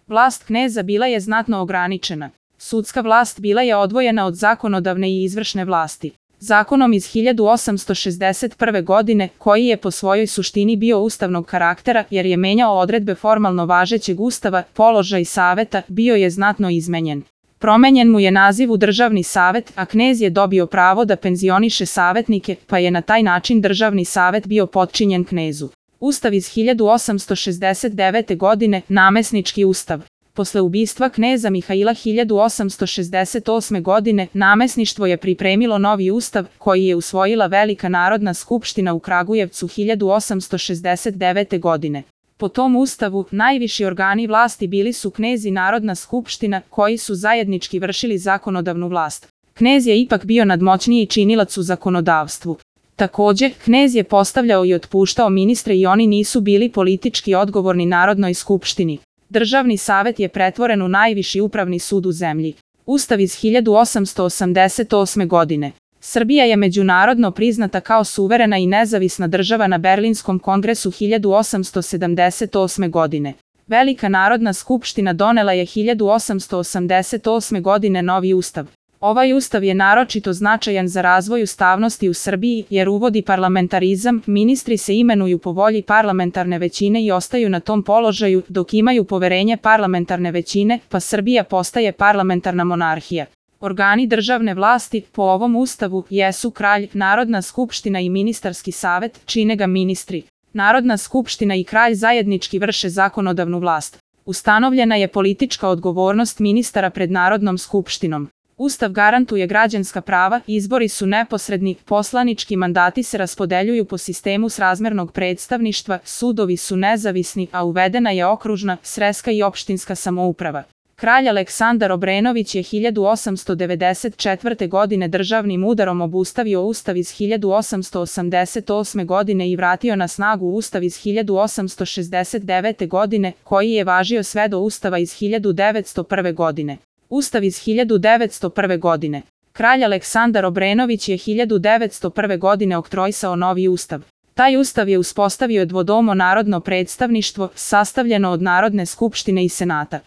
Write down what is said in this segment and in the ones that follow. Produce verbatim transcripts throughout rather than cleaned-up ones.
Vlast kneza bila je znatno ograničena. Sudska vlast bila je odvojena od zakonodavne i izvršne vlasti. Zakonom iz hiljadu osamsto šezdeset prve. godine, koji je po svojoj suštini bio ustavnog karaktera jer je menjao odredbe formalno važećeg ustava, položaj saveta bio je znatno izmenjen. Promenjen mu je naziv u državni savet, a knez je dobio pravo da penzioniše savetnike, pa je na taj način državni savet bio potčinjen knezu. Ustav iz hiljadu osamsto šezdeset devete. godine, namesnički ustav. Posle ubistva kneza Mihaila hiljadu osamsto šezdeset osme. godine, namesništvo je pripremilo novi ustav, koji je usvojila Velika narodna skupština u Kragujevcu hiljadu osamsto šezdeset devete. godine. Po tom ustavu, najviši organi vlasti bili su knez i Narodna skupština, koji su zajednički vršili zakonodavnu vlast. Knez je ipak bio nadmoćniji činilac u zakonodavstvu. Takođe, knez je postavljao i otpuštao ministre i oni nisu bili politički odgovorni Narodnoj skupštini. Državni savet je pretvoren u najviši upravni sud u zemlji. Ustav iz hiljadu osamsto osamdeset osme. godine. Srbija je međunarodno priznata kao suverena i nezavisna država na Berlinskom kongresu hiljadu osamsto sedamdeset osme. godine. Velika narodna skupština donela je hiljadu osamsto osamdeset osme. godine novi ustav. Ovaj ustav je naročito značajan za razvoj ustavnosti u Srbiji jer uvodi parlamentarizam, ministri se imenuju po volji parlamentarne većine i ostaju na tom položaju dok imaju poverenje parlamentarne većine, pa Srbija postaje parlamentarna monarhija. Organi državne vlasti, po ovom ustavu, jesu kralj, Narodna skupština i ministarski savet, čine ga ministri. Narodna skupština i kralj zajednički vrše zakonodavnu vlast. Ustanovljena je politička odgovornost ministara pred Narodnom skupštinom. Ustav garantuje građanska prava, izbori su neposredni, poslanički mandati se raspodeljuju po sistemu srazmernog predstavništva, sudovi su nezavisni, a uvedena je okružna, sreska i opštinska samouprava. Kralj Aleksandar Obrenović je hiljadu osamsto devedeset četvrte. godine državnim udarom obustavio ustav iz hiljadu osamsto osamdeset osme. godine i vratio na snagu ustav iz hiljadu osamsto šezdeset devete. godine, koji je važio sve do ustava iz hiljadu devetsto prve. godine. Ustav iz hiljadu devetsto prve. godine. Kralj Aleksandar Obrenović je hiljadu devetsto prve. godine oktroisao novi ustav. Taj ustav je uspostavio dvodomo narodno predstavništvo, sastavljeno od Narodne skupštine i Senata.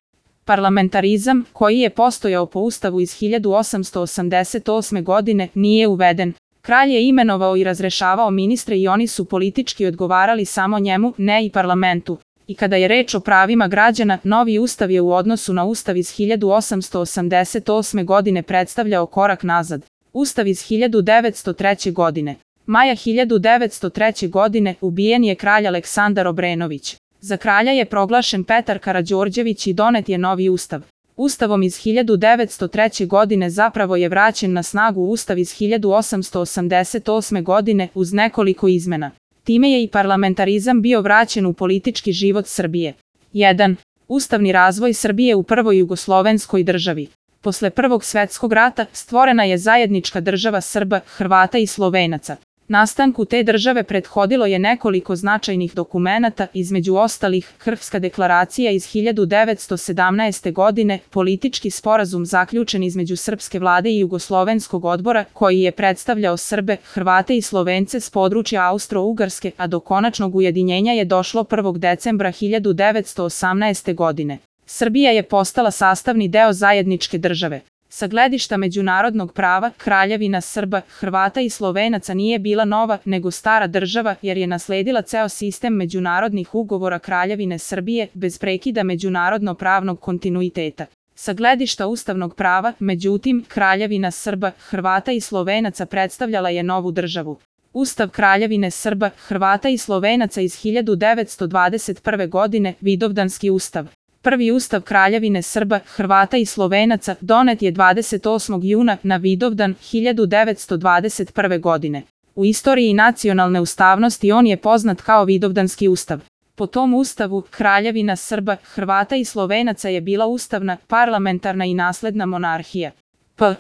Parlamentarizam, koji je postojao po ustavu iz hiljadu osamsto osamdeset osme. godine, nije uveden. Kralj je imenovao i razrešavao ministre i oni su politički odgovarali samo njemu, ne i parlamentu. I kada je reč o pravima građana, novi ustav je u odnosu na ustav iz hiljadu osamsto osamdeset osme. godine predstavljao korak nazad. Ustav iz hiljadu devetsto treće. godine. Maja hiljadu devetsto treće. godine ubijen je kralj Aleksandar Obrenović. Za kralja je proglašen Petar Karađorđević i donet je novi ustav. Ustavom iz hiljadu devetsto treće. godine zapravo je vraćen na snagu ustav iz hiljadu osamsto osamdeset osme. godine uz nekoliko izmena. Time je i parlamentarizam bio vraćen u politički život Srbije. jedan. Ustavni razvoj Srbije u prvoj jugoslovenskoj državi. Posle Prvog svetskog rata stvorena je zajednička država Srba, Hrvata i Slovenaca. Nastanku te države prethodilo je nekoliko značajnih dokumenata, između ostalih Krfska deklaracija iz hiljadu devetsto sedamnaeste. godine, politički sporazum zaključen između srpske vlade i jugoslovenskog odbora, koji je predstavljao Srbe, Hrvate i Slovence s područja Austro-Ugarske, a do konačnog ujedinjenja je došlo prvog decembra hiljadu devetsto osamnaeste. godine. Srbija je postala sastavni deo zajedničke države. Sa gledišta međunarodnog prava, Kraljevina Srba, Hrvata i Slovenaca nije bila nova, nego stara država, jer je nasledila ceo sistem međunarodnih ugovora Kraljevine Srbije, bez prekida međunarodno-pravnog kontinuiteta. Sa gledišta ustavnog prava, međutim, Kraljevina Srba, Hrvata i Slovenaca predstavljala je novu državu. Ustav Kraljevine Srba, Hrvata i Slovenaca iz hiljadu devetsto dvadeset prve. godine, Vidovdanski ustav. Prvi ustav Kraljevine Srba, Hrvata i Slovenaca donet je dvadeset osmog juna na Vidovdan hiljadu devetsto dvadeset prve. godine. U istoriji nacionalne ustavnosti on je poznat kao Vidovdanski ustav. Po tom ustavu, Kraljevina Srba, Hrvata i Slovenaca je bila ustavna, parlamentarna i nasledna monarhija. P.